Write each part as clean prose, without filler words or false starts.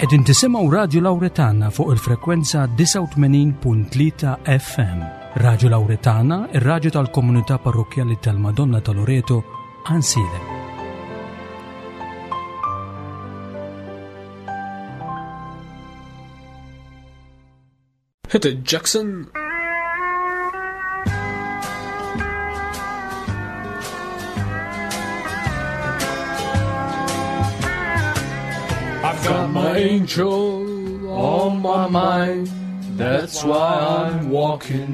Qegħdin tisimgħu Radju Lawretana fuq il-frekwenza 89.3 FM. Radju Lawretana, ir-radju tal-komunità parrokkjali tal-Madonna ta' Loreto, Għansielem. Hit it, Jackson. I've got my angel on my mind, that's why I'm walking.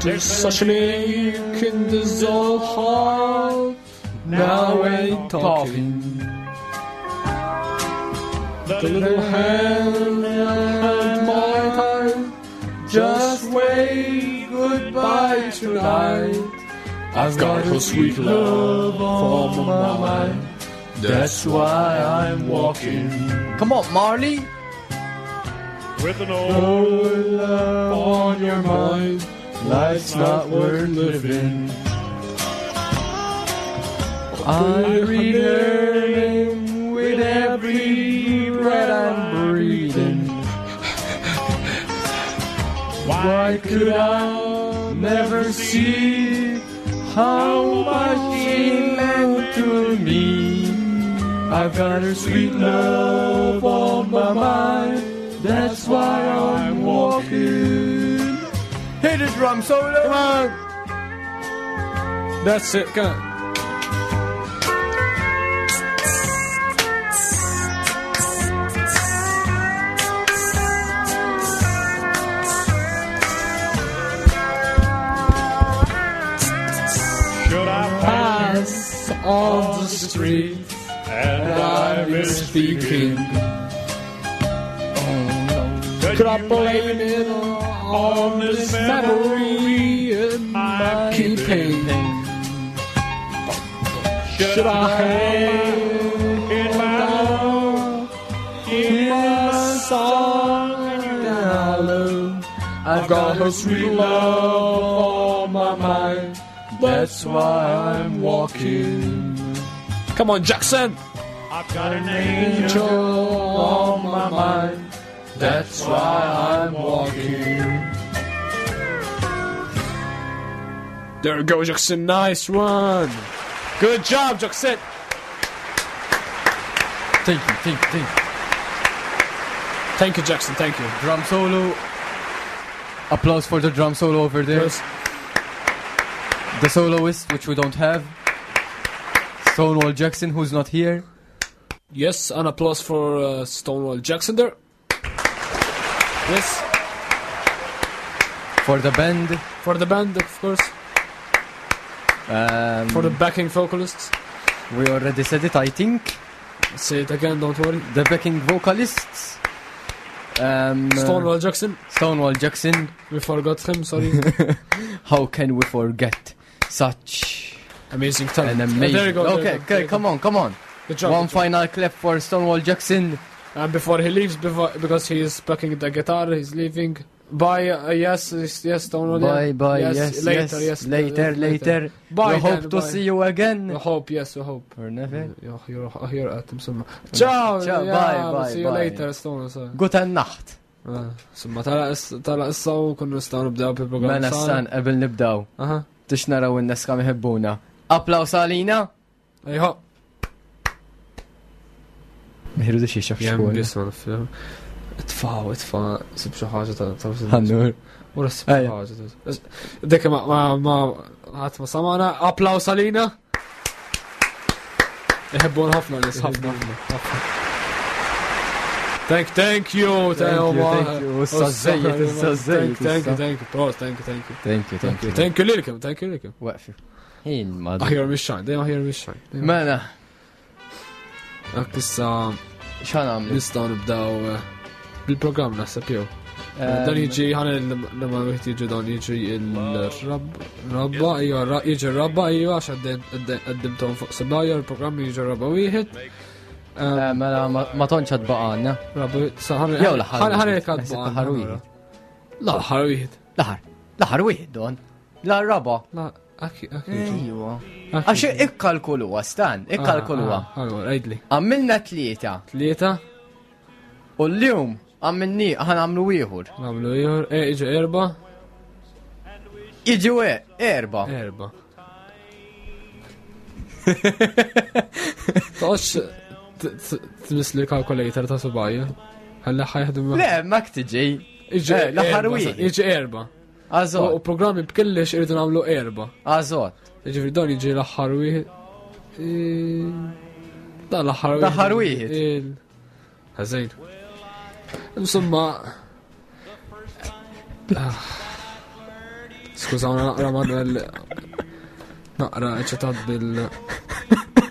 There's such an ache in this old heart, now ain't talking. The little hand that held my heart just wave goodbye tonight. I've got her sweet love on my mind. That's why I'm walking. Come on, Marley. With an old love on your mind, life's not worth living. I read her name with every breath I'm breathing. Why could I never see how much she meant to me? I've got her sweet love on my mind. That's why I'm walking. Hit the drum solo. Come on. That's it. Come on. Should I Pass on the street and and I I'm speaking. Could Could I you blame it on this memory in my keeping? Should I hang in my down in my song down low? I've got her sweet love on my mind. That's why I'm walking. Come on, Jackson! I've got an angel Angel on my mind. That's why I'm walking. There we go, Jackson. Nice one. Good job, Jackson. Thank you, thank you, thank you. Thank you, Jackson. Thank you. Drum solo. Applause for the drum solo over there. Yes. The soloist, which we don't have. Stonewall Jackson, who's not here. Yes, an applause for Stonewall Jackson there. Yes, For the band. for the band, of course. For the backing vocalists. We already said it, I think. Say it again, don't worry. The backing vocalists. Stonewall Jackson. Stonewall Jackson. We forgot him, sorry. How can we forget such Amazing talent. an amazing... There you go. there you Okay, go, there okay, you come go. on, come on. Good job. One good job. final clap for Stonewall Jackson. And before he leaves, before, because he is packing the guitar, he's leaving. Bye, yes, yes, yes, Stonewall. yeah. Bye, bye, yes, later, yes, yes, later, later. Bye, We hope then, to bye. see you again. We hope, yes, we hope. Or never. Ja, you're here at insomma. Ciao, Ciao, yeah, bye, we'll bye, see you bye. later, Stonewall. sorry. Guten Nacht. Insomma, tala issa u kunnu nistgħu nibdew bil-programm. Mela s-san, qabel nibdaw. Aha. Tix naraw in-nies kemm iħebbuna. Applaus għalina. Ejħo. Miħru di xie xaf Jem xkun. biss ma naf. Itfaw, itfa, sib xi ħaġa ta' ta' Ħannur. Ura sib xi Ejja. ħaġa. Dik ma ma ma ħadd ma samana, applaus għalina. Iħebbun ħafna nies, ħafna. ħafna. Thank, thank you, Thank you, thank you. Issa żejjed, issa żejjed, Thank you, issa. thank you, pros, thank you, thank you. Thank you, thank you. Thank you lilkom, thank you lilkom. Waqfi. Ħin ma. Aħjar mix-xajn, dejjem aħjar mix-xajn. Mela, Hekk issa x'għan għamlu? nistgħu nibdew bil-programm naħseb jew. Dan jiġi ħana l-ma wieħed jiġi dan jiġi il-rabba, ija jiġi r-rabba, ija għax għaddimtom fuq sebajja, il-programm jiġi r-rabba wieħed. Mela, ma tontx għad baqgħanna. Rabba, sa ħana Jew l-aħħar ħana wieħed. ħana Naħseb l-aħħar wieħed. La, l-aħħar wieħed. L-aħħar. L-aħħar wieħed don. La raba. La, Akki, akki. Ejwa. Għax ikkalkuluha, stan, ikkalkuluha. Allora, għidli. Għamilna tlieta. Tlieta? U l-lum għamilni ħan għamlu ieħor. Għamlu ieħor, e, iġu erba. Iġu e, erba. Erba. Toqgħodx tmiss li kalkulator ta' subajja. Ħalli ħajħdem. Le, ma tiġi. Iġi eh, l-aħħar wieħed. Iġi erba. Għazot. U programmi b'kellix irridu nagħmlu erba. Għazot. Ġifieri dan jiġi l-aħħar wieħed. Dan l-aħħar wieħed. L-aħħar wieħed. Ħażin. Insomma. Ah. Skużawna naqra Manuel naqra eċitat bil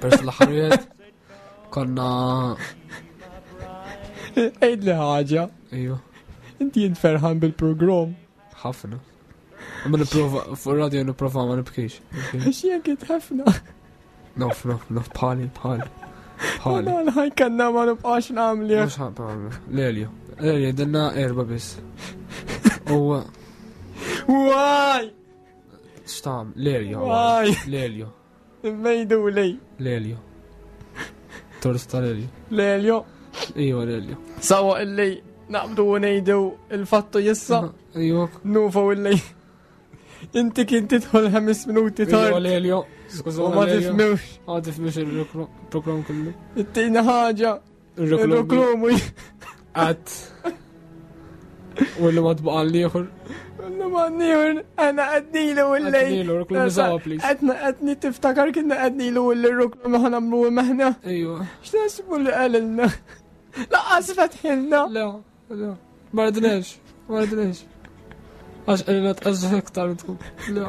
pers l-aħħar wieħed. Konna Għid li ħaġa. Ejju. Inti jint ferħan bil-program. Ħafna. Ma nipprova fuq radio nipprova ma nibkix. Għax jien kien ħafna. Nof, nof, nof, bħali, bħali. Bħali. Għal kanna ma nibqax nagħmli. Mhux ħabba, Lelio. Lelio, dinna erba biss. U. Waj! X'tam, Lelio. Waj! Lelio. Immejdu li. Lelio. Tort ta' Lelio. Lelio. Iva, Lelio. Sawa illi naqbdu u ngħidu il-fattu jissa. Iva. Nufa u illi. Inti kien tidħol ħames minuti tard. Iva, Lelio. Skuża. U ma tifmux. Ma tifmux il-program kollu. Ittina ħaġa. Il-ruklumu. Għat. U l ma tbaqa l-ieħor. L ma n-ieħor, għana għadnilu u l-lej. Għadnilu, ruklumu zawa, please. Għadna għadni tiftakar kienna għadnilu u l-ruklumu ħanamlu maħna. Ejwa. X'tasbu li għalilna? Laqqas fetħilna. Le, le. Ma rridniex, ma rridniex. Għax għalina tqażżu iktar tkun. Le.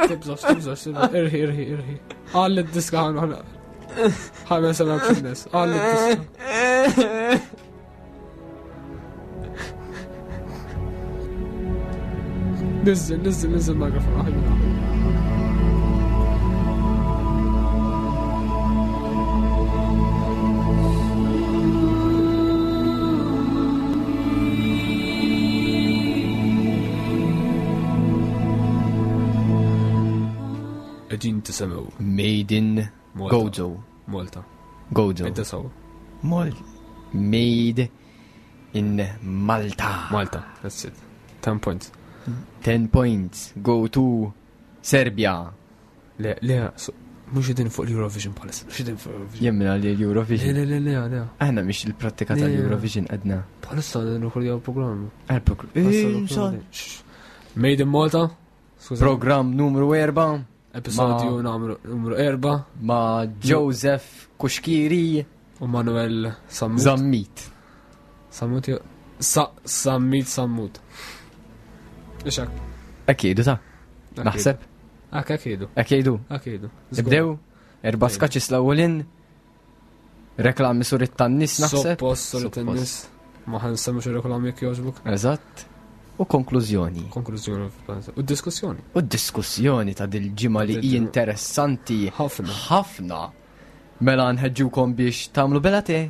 Tibżax, tibżax, tibżax. Irħi, irħi, irħi. Għalli d-diska ħan ħan. Ħan sena b'xinnes. Għalli d-diska. Nizzel, nizzel, nizzel mikrofon. Aħjar. Qegħdin tisimgħu. Made in Malta. Gozo. Malta. Gozo. Inta saw. Mal. Made in Malta. Malta, that's it. 10 points. 10 points. Go to Serbia. Le, le, mhux qegħdin fuq l-Eurovision bħalissa, mhux qegħdin fuq l-Eurovision. Jemmina li l-Eurovision. Le, le, le, le, le. Aħna mhix il-prattika Le. tal-Eurovision għadna. Bħalissa nirrekordjaw programm. Għal-program. Made in Malta. Skuża. Program numru 4 Episodju numru 4 ma' Joseph Kushkiri u Manuel Sammut. Zammit. Sammut jew- Sa Sammit Sammut. Ixak. Ekkidu ta' naħseb. Ak akidu. Ekkidu. Akidu. Nibdew. Erba skaċis l-ewwelin. Reklami sur it-tannis naħseb. Suppost sur it-tennis. Ma ħansemmux ir-reklami jekk jogħġbok. Eżatt. U konklużjoni. Konklużjoni. U diskussjoni. U diskussjoni ta' dil-ġimgħa li hi interessanti Ħafna. ħafna. Mela nħeġġukom biex tagħmlu bela te,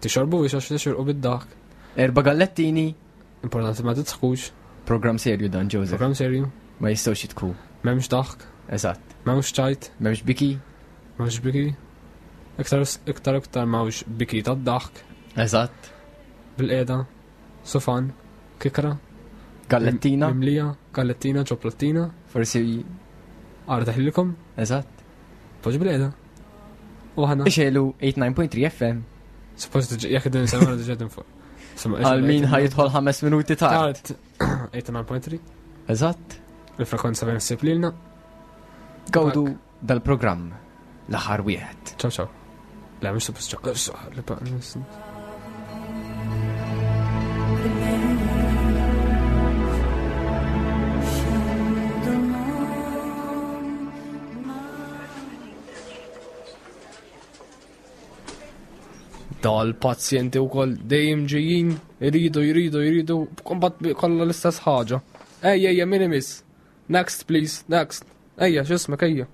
Tixorbu biex għax tixorqu bid-dak. erba gallettini. Importanti ma titħkux. Program serju dan, Joseph. Program serju. Ma jistgħux jitku. M'hemmx daħk. Eżatt. M'hemmx ċajt. M'hemmx biki. M'hemmx biki. Iktar iktar iktar m'hawnx biki tad-daħk. Eżatt. Bil-qeda. Sofan. Kikra. Gallettina. Mimlija. Gallettina, ċoplattina. Forsi Għara taħlilkom. eżatt. Poġ bil-qeda. U ħana. Ixelu 89.3 FM. Suppost jekk din semma diġà din fuq. Semma Għal min ħajidħol ħames minuti tard. Tard. 89.3. Eżatt. Il-frekwenza bejn ssib lilna. Gawdu dal-programm l-aħħar wieħed. Ciao ciao. Le, mhux suppost ciao. Dal-pazjenti u koll dejjem ġejjin, jridu, jridu, jridu, kombat kollha l-istess ħaġa. Ejja, ejja, min imiss. Next, please, next. Ejja, x'ismek, ejja.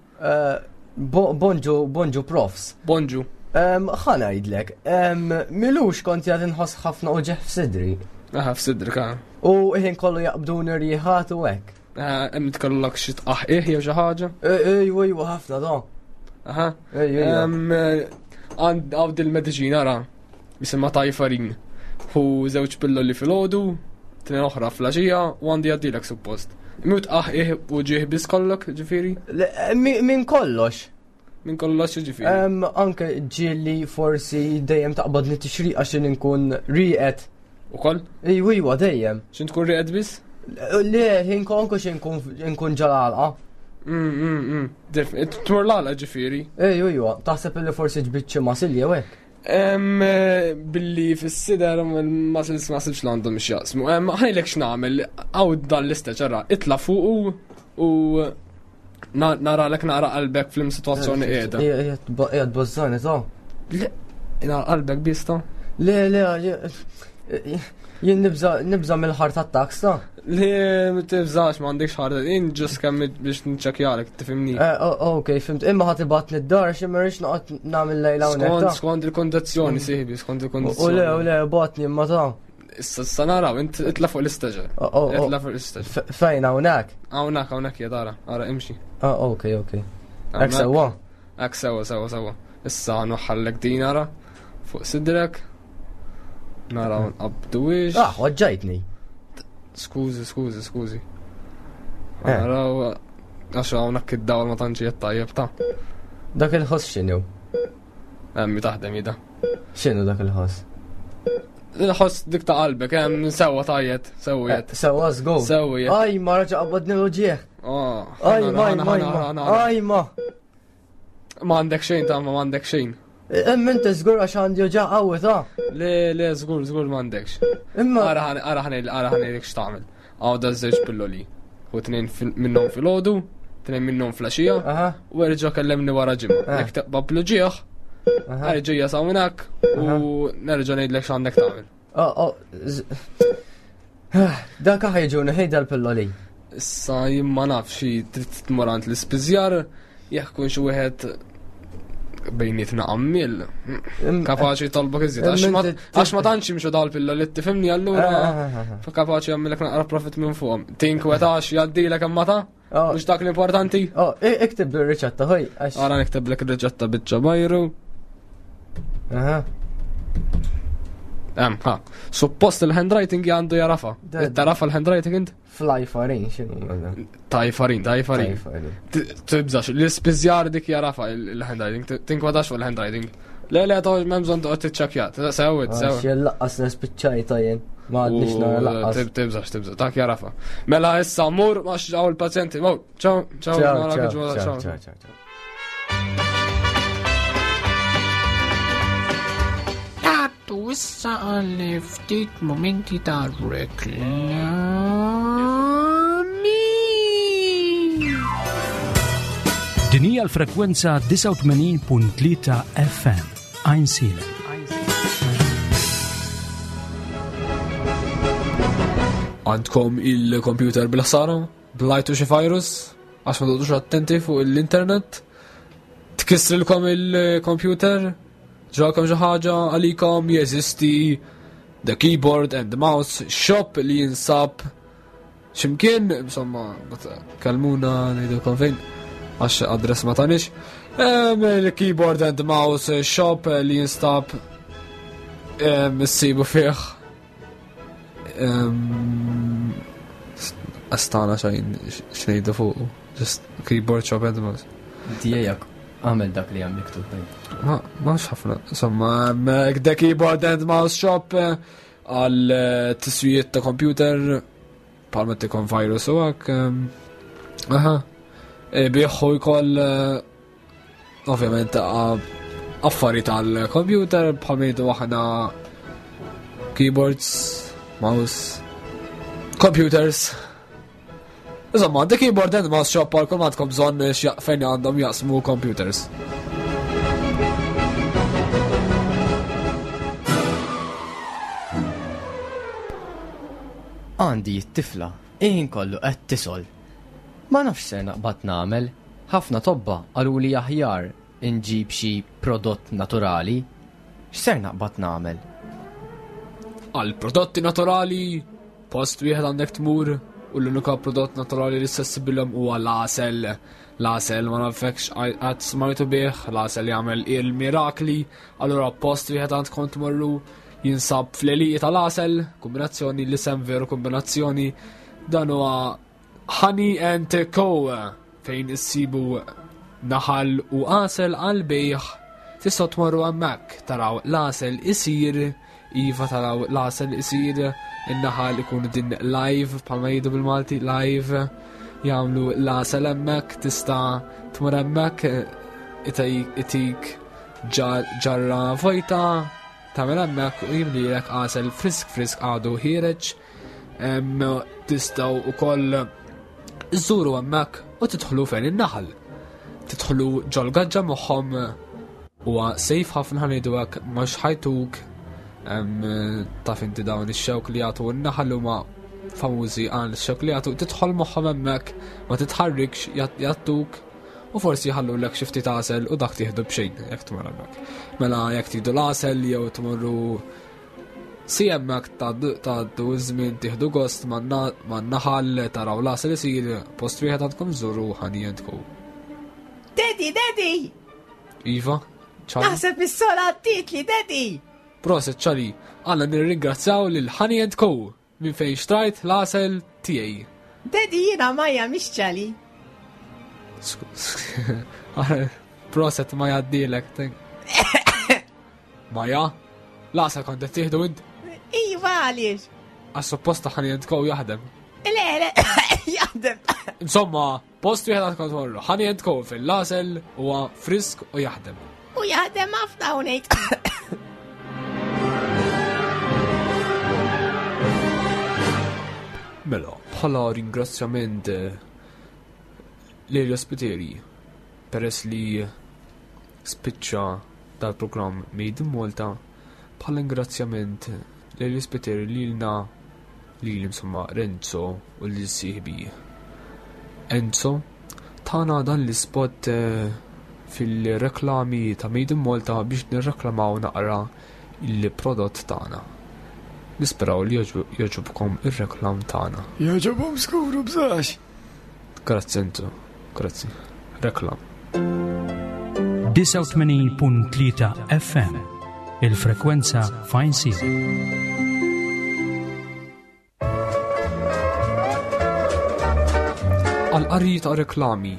Bonġu, bonġu profs. Bonġu. Ħa ngħidlek, milux kont jgħad inħoss ħafna uġeħ f'sidri. Aha, f'sidrik, ah. U ħin kollu jaqbduni rjiħat u hekk. Eh, hemm tkollok xi tqaħqih jew xi ħaġa? Ejwa, ejwa, ħafna da. Aha. Għand għawd il-mediċina ra, jisimha tajfarin. Hu żewġ pilloli filgħodu, tnejn oħra flaxija u għandi għaddilek suppost. Imma tqaħqih u ġieħ biss kollok, ġifieri? Min kollox. Min kollox ġifieri. Anke ġieli forsi dejjem taqbadni tixriq għax inkun rieqed. Ukoll? Ejwa, ejwa, dejjem. X'int tkun rieqed biss? Le, ħin konku xi nkun ġal-għalqa. Tmur l-għalqa ġifieri. Ejwa, ejwa, taħseb li forsi ġbid xi masil jew hekk? Billi fis-sider il-muscles ma sibx l-għandhom x'jaqsmu. Ħajlek x'nagħmel, għaw dan l-istess ġara, itla' fuq u nara lek nara qalbek fl situazzjoni qiegħda. Qiegħed bażżani ta'. Le, nara qalbek biss ta'. Le, le, jien nibża mill-ħar tat-taks ta'. Le, ma tibżax m'għandekx ħar, jien ġust kemm biex nċekjalek, tifhimni. Eh, ok, fimt, imma ħadd ibatni d-dar xi ma rridx noqgħod nagħmel lejla hawnhekk. Skont il-kondizzjoni, sieħbi, skont il-kondizzjoni. U le, u le, batni imma ta'. Issa issa naraw, int itla fuq l-istaġer. Oh, oh, oh. Itla fuq l-istaġer. Fejn hawnhekk? Hawnhekk, hawnhekk hija tara, ara imxi. Ah, ok, ok. Hekk sewwa. Hekk sewwa, sewwa, sewwa. Issa nuħallek din ara fuq sidrek. Naraw nqabdu wiex. Ah, oġġajtni. Skużi, skużi, skużi. Eh. Naraw għax hawnhekk id-dawl ma tantx qed tajjeb ta'. Dak il-ħoss x'inhu? Emmi taħdem jida. X'inhu dak il-ħoss? Il-ħoss dik ta' qalbek, hemm sewwa tajjet, sewwiet. Eh, sewwa żgur. Sewwiet. Aj, ma raġa qabadni l-uġieħ. Ah, Aj, ma, ma, ma, aj, ma. Ma għandek xejn ta' ma għandek xejn. Imma inti żgur għax għandi uġieħ qawwi ta' Le, le, żgur, żgur ma għandekx. Imma. Ara ara ara ħanejlek x'tagħmel. Għaw da żewġ pilloli. U tnejn minnhom fil-ħodu, tnejn minnhom flaxija, u erġa' kellemni wara ġimgħa. Eh. Jekk taqba bl-ġieħ, erġa' jasa hawnhekk u nerġa' ngħidlek x'għandek tagħmel. Oh, oh, Dak ħajġuni ħejda l-pilloli. Issa jien ma nafx trid tmur għand l-ispiżjar jekk kun xi wieħed bejnietna għammil. Kapaċi jitolbok iżjed. Għax ma tantx jimxu dal-pilla li tifhimni allura eh, eh, eh, kapaċi jagħmilek naqra profit minn fuqhom. Tinkwetax jgħaddilek hemm mata? Oh. Mhux dak l-importanti? Oh, ikteb bir-riċetta ħoj. Ara nikteblek ir-riċetta biċċa bajru. Aha. Hemm, ha. Suppost il-handwriting għandu jarafa. Tarafa l-handwriting int? Fly farin, xinu? Tajfarin, tajfarin. Tibżax, l-ispiżjar dik jarafa il-handwriting, tinkwadax fuq il-handwriting. Le, le, toħ, memżon toqgħod tiċċakja. Sewwit, sewwit. Jien laqqas nispiċċajta jien. Ma għadniex nara laqqas. Tibżax, tibżax, dak jarafa. Mela issa mur ma xġaw il-pazjenti. Mur, ċaw, ċaw, ċaw, ċaw, ċaw. Għaddu issa għal ftit momenti ta' reklami. Din hija l-frekwenza 89.3 FM. Għajnsielem. Għandkom il-computer bil-ħsara? Blajtu xi virus? Għax ma toqgħodux attenti fuq l-internet? Tkissrilkom il-computer? Ġrakom xi ħaġa għalikom jeżisti the keyboard and the mouse shop li jinsab ximkien, insomma, kalmuna ngħidilkom fejn għax adress ma tanix. Il-keyboard and the mouse shop li jinstab issibu fih Astana xajn xnejdu fuq. Just keyboard shop and mouse. Dijajak, għamel dak li għam miktub. Ma, ma ħafna. Insomma, the keyboard and mouse shop eh, għal eh, tiswijiet ta' computer palma tikon virus u għak. Aha. E, Biħu jkoll eh, ovvjament affarijiet għal computer bħal ngħidu aħna keyboards, mouse, computers. Insomma, the keyboard and mouse shop għal kull għandkom bżonn fejn għandhom jaqsmu computers. Għandi t-tifla, iħin kollu qed tisol. Ma nafx ser naqbad nagħmel. Ħafna tobba qaluli aħjar inġib xi prodott naturali. X'ser naqbad nagħmel? Għal prodotti naturali, post wieħed għandek tmur u l-unika prodott naturali li sessibilhom huwa l-għasel. L-għasel ma nafekx qatt smajtu bih, l-għasel jagħmel il-mirakli, allura post wieħed għandkom tmorru jinsab fl-għelieqi tal-għasel, kombinazzjoni l-isem veru kombinazzjoni, dan huwa Honey and Co fejn issibu naħal u għasel għal bejħ tistgħu tmorru hemmhekk taraw l-għasel isir iva taraw l-għasel isir in-naħal ikun din live bħalma jgħidu bil-Malti live jagħmlu l-għasel hemmhekk tista' tmur hemmhekk itik ġarra vojta tagħmel hemmhekk u jimlilek għasel frisk frisk għadu ħiereġ Tistgħu ukoll iżżuru hemmhekk u tidħlu fejn in-naħal. Tidħlu ġol-gaġġa magħhom huwa sejf ħafna ħanidu hekk mhux ħajtuk taf inti dawn ix-xewk li jagħtu n-naħal huma famużi għal xewk li jagħtu tidħol magħhom hemmhekk ma titħarrikx jagħtuk u forsi jħallulek xi ftit għasel u dak tieħdu b'xejn jekk tmur hemmhekk. Mela jekk tridu l-għasel jew tmorru Si hemmhekk tgħaddu ż-żmien tieħdu gost man-naħal taraw l-għasel isir post wieħed għandkom żuru Honey and Co. Daddy, Daddy! Iva, ċali. Naħseb is-sola għaddietli, Daddy! Proset ċali, għandna nirringrazzjaw lil Honey and Co. Minn fejn xtrajt l-għasel tiegħi. Daddy jiena Maja mhix ċali. Proset ma jgħaddilek. Maja, l-għasel kont qed tieħdu int? Iva għaliex. Għas supposta ħani jentkow jaħdem. Le, le, jaħdem. Insomma, Post wieħed għad kont morru. Honey and Co fil-lasel huwa frisk u jaħdem. U jaħdem ħafna u ngħid. Mela, bħala ringrazzjament eh, lil ospiteri peress li spiċċa dal-programm Made in Malta, bħala ringrazzjament lil ospiteri lilna Lili insomma Renzo u lil sieħbi Enzo tana dan l-ispot eh, fil-reklami ta' Made in Malta biex nirreklamaw naqra il-prodott tagħna. Nisperaw li jogħġobkom ir-reklam tagħna. Jogħġobhom skuru bżax. Grazzi Enzo, grazzi. Reklam. 89.3 FM, il-frekwenza Fine Season. Għal-qari ta' reklami.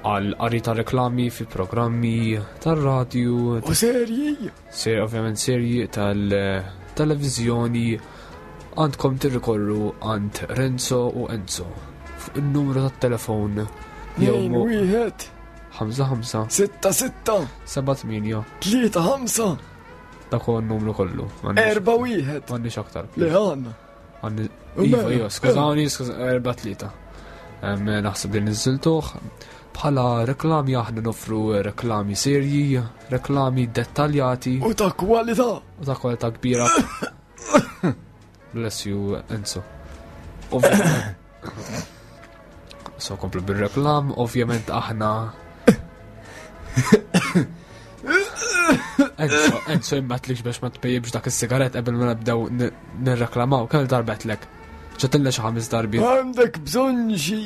Għal-qari ta' reklami fi programmi tar-radju. U serji. Se ovvjament serji tal-televizjoni għandkom tirrikorru għand Renzo u Enzo fuq il-numru tat-telefon jew wieħed 5 5 6 6 7 8 3 5 Dak huwa n-numru kollu. Erba' wieħed. M'għandniex aktar. Le għandna. Għandi. Iva, iva, skużawni, erba' tlieta. Naħseb li niżiltuh. Bħala reklami aħna nofru reklami serji, reklami dettaljati. U ta' kwalità. U ta' kwalità kbira. Bless you, Enzo. So komplu bil-reklam, ovvjament aħna. Enzo, Enzo imbatlix biex ma tpejjibx dak is-sigaret qabel ma nabdew nirreklamaw, kemm darbetlek. Ċatilla xi ħames darbi. Għandek bżonn xi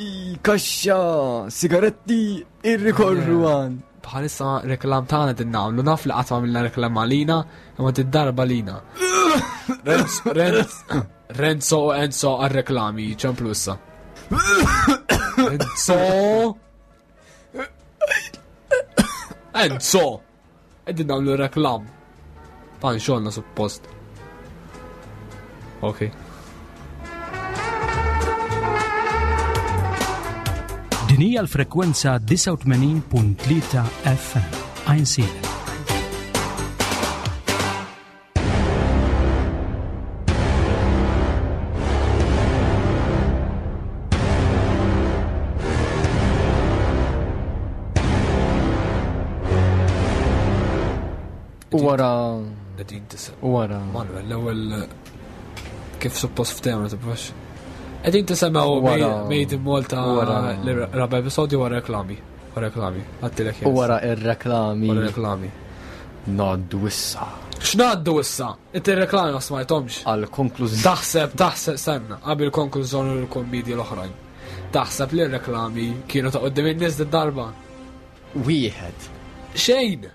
kaxxa sigaretti irrikorru għan. Bħalissa reklam tagħna din nagħmlu naf li qatt għamilna reklam għalina, imma din darba lina. Renzo u Enzo għal-reklami, ċemplu issa. Enzo! Enzo! Qegħdin nagħmlu reklam. Tan xogħolna suppost. Ok. Din hija l-frekwenza 89.3 FM. Għajnsielem. U wara. Qegħdin tisem. U wara. Manuel, l-ewwel kif suppost ftehmna tibbax. Qegħdin tisemgħu Made in Malta l-raba' episodju wara reklami. Wara reklami. Għattilek U wara ir-reklami. Wara reklami. Ngħaddu issa. X'ngħaddu issa? Inti reklami ma smajthomx. Għal konklużjoni. Taħseb, taħseb, stenna, qabel konklużjoni u l-kommedji l-oħrajn. Taħseb li r-reklami kienu ta' qoddim in-nies darba? Wieħed. Xejn!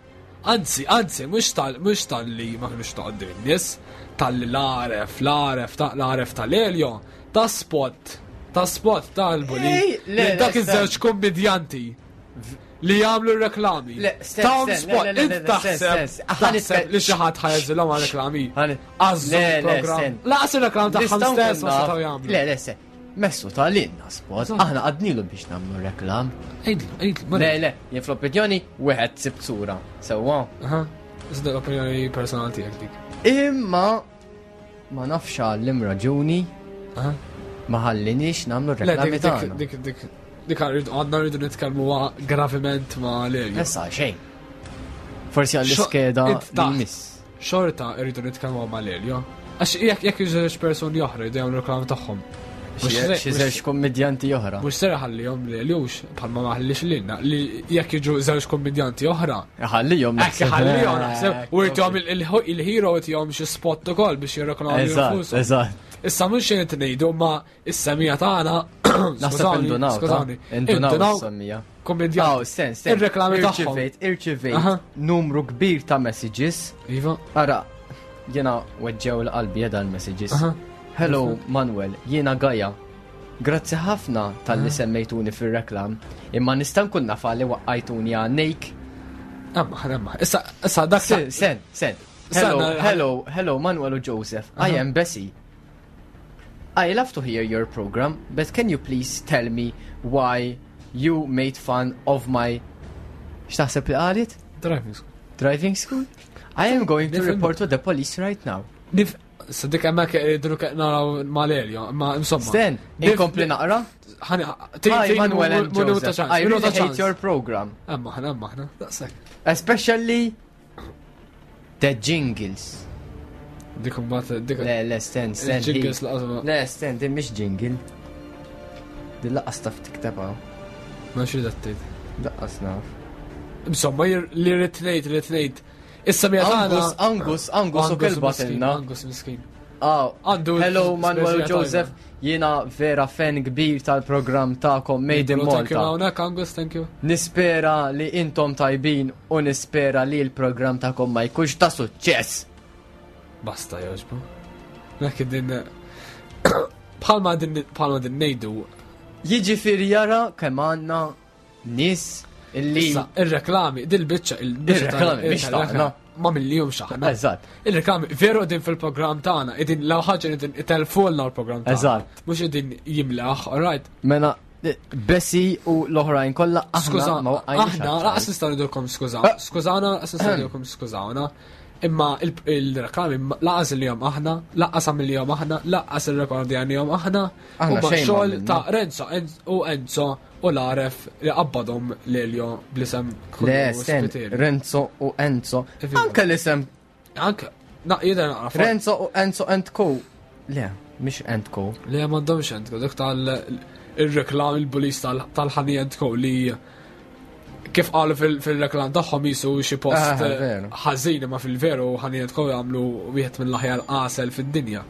Anzi, anzi, mhux tal mhux tal-li ma kienux ta' qoddim in-nies, tal-li l-aref, l-aref, ta' l-aref tal-Elio, ta' spot, ta' spot tal-buli. Ej, le, Lil dak le, iż-żewġ kommedjanti li jagħmlu r-reklami. Le, sten, Tawhom sten, spot, le, le, le, int le, sten, taħseb, sten, sten. taħseb li xi ħadd ħajeżilhom għal reklami. Għażżu Le, le, program. sten. Laqas ir-reklam tagħhom Nistgħu stess ma nkun naf- setgħu jagħmlu. Le, le, se. Messu tal-inna spot. Aħna għadnilu biex namlu reklam. Għidlu, għidlu. Le, le, jien fl-opinjoni, wieħed sibt sura. Sewwa. Aha, iżda l-opinjoni personali tiegħek dik. Imma ma nafx għallim raġuni Aha. ma ħallinix namlu Le, reklami dik, dik, tagħna. dik, dik, dik għadna rridu nitkellmu graviment ma' Lelio. Issa xejn. Forsi għall-iskeda Int li taħt. jmiss. Xorta rridu nitkellmu ma' Lelio. Għax jekk jekk żewġ persuni oħra jridu jagħmlu reklam tagħhom. Mhux se- Xi żewġ kommedjanti oħra. Mhux ser ħallihom Leliux bħalma ma ħallix lilna li jekk jiġu żewġ kommedjanti oħra. Ħallihom Hekk ħallihom naħseb u jtihom il-hero jtihom xi spot ukoll biex jirreklamaw Eżatt, infushom. eżatt. Issa mhux xejn qed ngħidu ma is-semija tagħna Naħseb skużawni, indunaw, ta' skużawni. indunaw is-semmija. Kommedjant. Aw, sten, sten. Ir-reklami tagħhom. Irċivejt, irċivejt Aha. numru kbir ta' messages. Iva. Ara, jena weġġew l-qalbi jeda l-messages. Aha. Hello, Manuel, jiena Gaja. Grazzi ħafna tal-li semmejtuni fil-reklam, imma nista' nkun naf li waqqajtuni għannejk. Emma, emma. Issa, issa dak Sen, sen, sen. Hello, Sen, hello, hello, Manuel u Joseph. I am Bessie. I love to hear your program, but can you please tell me why you made fun of my... X'taħseb li qalet? Driving school. Driving school? I am going to Nifhem. report to the police right now. Nif, issa dik hemmhekk irridu naraw mal-Elio, ma insomma. Sten, Nif- inkompli naqra? Ħani, Hi, Manuel and Joseph. I really hate your program. Emma, ħna, emma, ħna. Daqshekk. Especially the jingles. Dik imbagħad dik. Le, le, sten, sten. Il-jingles hi. laqas ma- Le, sten, din mhix jingle. Din laqqas taf tiktebha. Ma xi tgħid. Laqqas naf. Insomma, li rrid ngħid, rrid ngħid. Issa mija tagħna. Angus, Angus, Angus u kelba miskin, tilna. Angus miskin. Ah, Għandu Hello Manuel speċi Joseph, jiena vera fan kbir tal-programm ta'kom Made in Thank you Malta. hawnhekk Angus, thank you. Nispera li intom tajbin u nispera li l-programm ta'kom ma jkunx ta' suċċess. Basta joġbu. Nek din bħalma din bħalma din ngħidu Jiġifieri jara kemm għandna nies illi Issa, ir-reklami, dil-biċċa, il-biċċa Ir-reklami, mhix tagħna. Ma mill-jum xaħna. Eżatt. Il-reklami, veru din fil-programm tagħna, idin law ħaġa idin itelfulna l-programm tagħna. Eżatt. Mhux idin jimlaħ, all right. Mela Bessi u l-oħrajn kollha aħna Skuża, ma waqqajniex aħna għal laqas nistgħu ngħidulkom skuża. Ah. Skużana, laqas nistgħu ngħidulkom skużawna. Imma il-reklami laqas li jom aħna, laqas għamil jom aħna, laqas il-rekordjani jom aħna. Aħna Huma xejn ma xogħol għamilna. ta' Renzo u Enzo u l-aref li qabbadhom Lelio bl-isem Le, Kullu sten, Spiteri. Renzo u Enzo. Iva. Anke l-isem Anke, na, jidher naqra. Renzo u Enzo and Co. Le, mhix and Co. Le m'għandhomx Enzo, dik tal il-reklam il-bulis tal-ħani Enzo li kif qalu fil-reklam tagħhom jisu xi post Ah, veru. ħażin imma fil-veru ħani Enzo jagħmlu wieħed mill-aħjar qasel fid-dinja.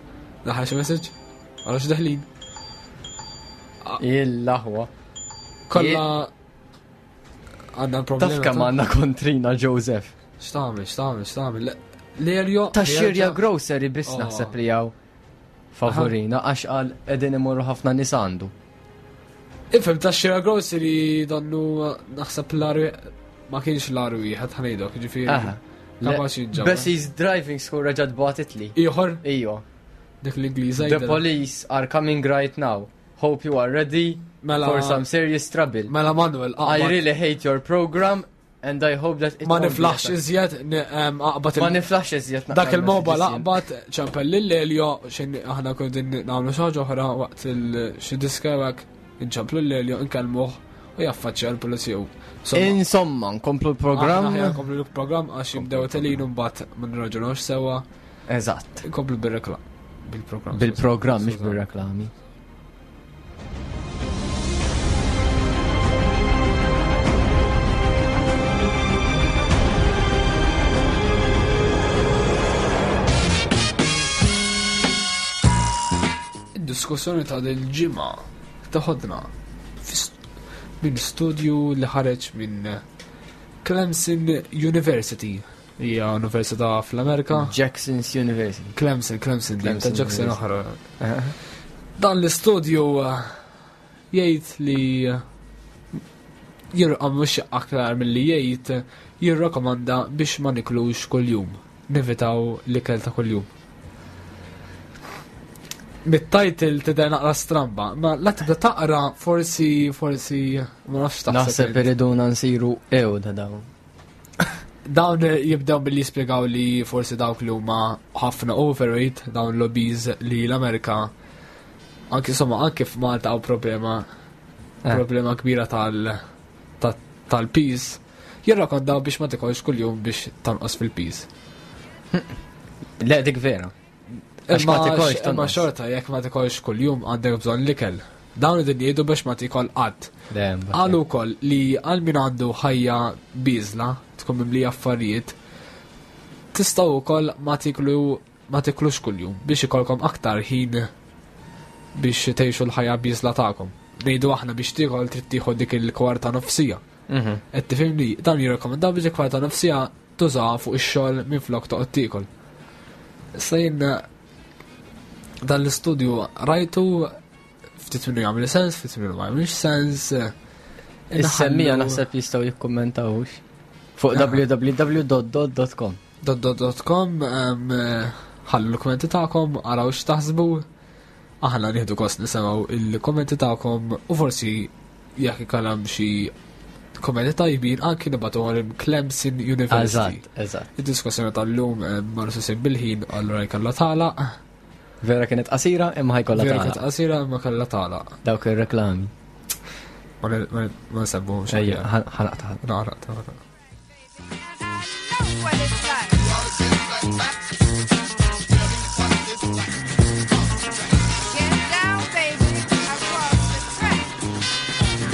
Daħal xi message? Għala xi daħlin. Il-laħwa. Kollha għandna problema. Taf kemm għandna kontrina Joseph. X'tagħmel, x'tagħmel, x'tagħmel. Lerjo. Ta' xirja grocery biss Oh. naħseb li hawn favorina għax qal qegħdin imorru ħafna nies għandu. Ifhem ta' xira grocery donnu naħseb l-aru ma kienx l-aru wieħed ħanejdok, ġifieri. Aha. Kapaċi ġabra. Bessie's driving school reġgħet bagħtitli. Ieħor Iva. dik l-Ingliża The jidher. police are coming right now. Hope you are ready Mela- for some serious trouble. Mela Manuel, I aqbad. really hate your program and I hope that it Ma won't be niflaħx affected. iżjed, aqbad Ma niflaħx iżjed naqra Dak il-mobile messages jien. aqbad ċempel lil Elio xejn aħna kun din nagħmlu xi ħaġa oħra waqt il xi diska hekk inċemplu lil Elio nkellmuh u jaffaċċja l-pulizija. Insomma, Insomma, nkomplu l-programm. aħna ħjar nkomplu l-programm għax jibdew telin u mbagħad ma nirraġunawx sewwa. Eżatt. Nkomplu bir-reklam. Bil-programm. Bil-programm, mhux Skużani. bir-reklami. Id-diskussjoni ta' dil-ġimgħa taħodna minn studju li ħareġ minn Clemson University. Hija università fl-Amerika. Jackson's University. Clemson, Clemson, din ta' Clemson Jackson University. oħra. Dan l-istudju jgħid li jirqa mhux aktar milli jgħid jirrakkomanda biex ma niklux kuljum. Nevitaw l-ikel ta' kuljum. Mit-title tidher naqra stramba, ma la tibda taqra forsi forsi ma nafx taħseb. Naħseb int. iriduna nsiru ew da dawn. Dawn jibdew billi jispjegaw li forsi dawk li huma ħafna overweight, dawn l-obese li l-Amerika anki insomma anke f'Malta hawn problema problema kbira tal tal-piż. Jirrakondaw biex ma tikolx kuljum biex tonqos fil-piż. Le dik vera. Għax ma tikolx Imma tonqos. xorta jekk ma tikolx kuljum għandek bżonn l-ikel. Dawn id jgħidu biex ma tikol qatt. Le, mbagħad. Qalu wkoll li għal min għandu ħajja biżla, tkun mimlija affarijiet, tistgħu wkoll ma tiklu ma tiklux kuljum biex ikolkom aktar ħin biex tgħixu l-ħajja biżla tagħkom. Ngħidu aħna biex tiekol trid tieħu dik il-kwarta nofsija. Qed tifhimni, dan jirrekomendaw biex il-kwarta nofsija tużaha fuq ix-xogħol minflok toqgħod tiekol. Issa jien dan l-istudju rajtu ftit minnu jagħmel sens, ftit minnu ma jagħmilx sens. Is-semmija Inħallu- naħseb jistgħu jikkummentawx fuq www.dot.com. dot.com ħallu l-kommenti tagħkom, araw x'taħsbu. Aħna nieħdu kost nisimgħu il-kommenti tagħkom u forsi jekk ikollhom xi kommenti tajbin anki nibgħatuhom Clemson University. Eżatt, eżatt. Id-diskussjoni tal-lum ma nistgħu bil-ħin allura jkollha tagħlaq. Vera kienet qasira imma ħajkollha Vera kienet tagħlaq. qasira imma kellha tagħlaq. Dawk ir-reklami. Ma nsemmuhomx. Ejja, ħanaqta. Naqra, tagħlaq. What it's like. Get down, baby, across the track.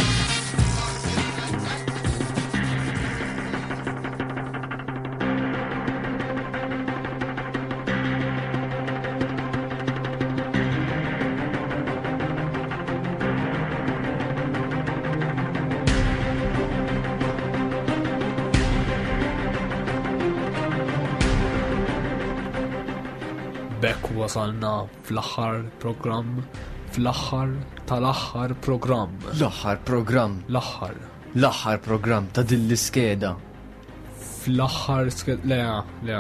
Bekk wasalna fl-aħħar programm, fl-aħħar tal-aħħar programm. L-aħħar programm. L-aħħar. L-aħħar programm ta' din l-iskeda. Fl-aħħar le, le,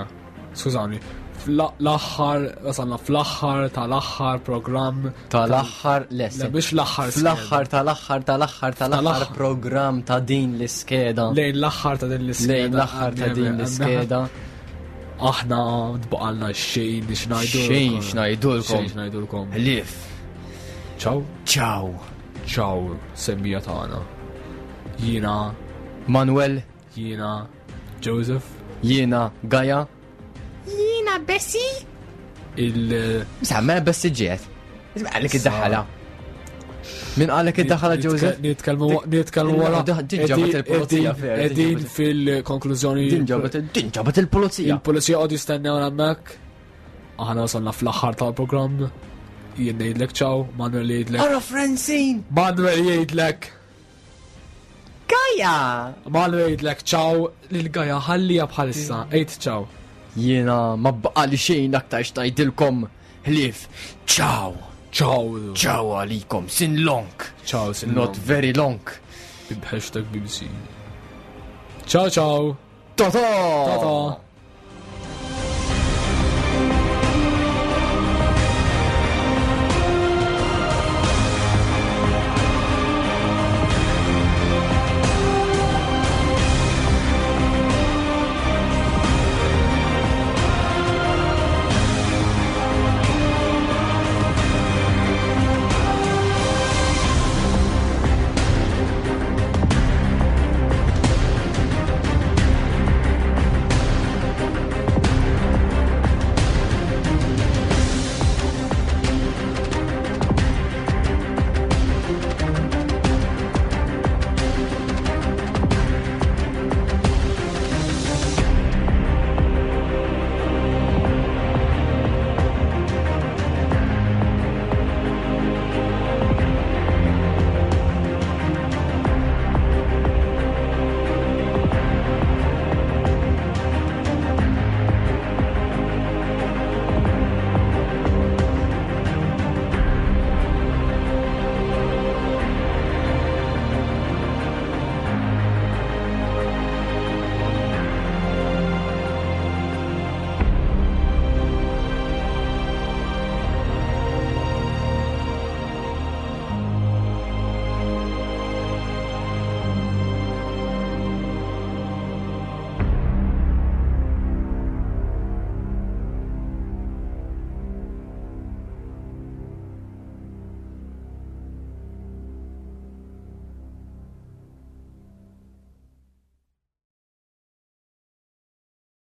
skużawni. Fl-aħħar, wasalna fl-aħħar tal-aħħar programm. Tal-aħħar Le, le. biex l-aħħar Fl-aħħar tal-aħħar tal-aħħar tal-aħħar programm ta' din l-iskeda. Lejn l-aħħar ta' din l-iskeda. Lejn l-aħħar ta' din l-iskeda. Aħna tbaqalna xejn x'ngħidu. Xejn x'ngħidulkom. Xejn x'ngħidulkom. Ħlief. Ciao. Ciao. Ciao, semmija tagħna. Jiena Manuel. Jiena Joseph. Jiena Gaja. Jiena Bessie. Il Sa mela Bessie ġiet. Isma' għalik id-daħala. Min għalek id-daħala Joseph? Nitkellmu nitkellmu wara. Din ġabet il-pulizija fer. Qegħdin fil-konklużjoni. Din ġabet din ġabet il-pulizija. Il-pulizija qogħdu jistennew hemmhekk. Aħna wasalna fl-aħħar tal-programm. Jien ngħidlek ciao, Manuel jgħidlek. Ara Francine! Manuel jgħidlek. Gaja! Manuel jgħidlek ciao lil Gaja ħallija bħalissa. Għid ciao. Jiena ma baqali xejn aktar xtajdilkom ħlief. Ciao. Ciao. Ciao għalikom. Sin long. Ciao, sin Not long. very long. Hashtag BBC. Ciao ciao. Tata. Tata.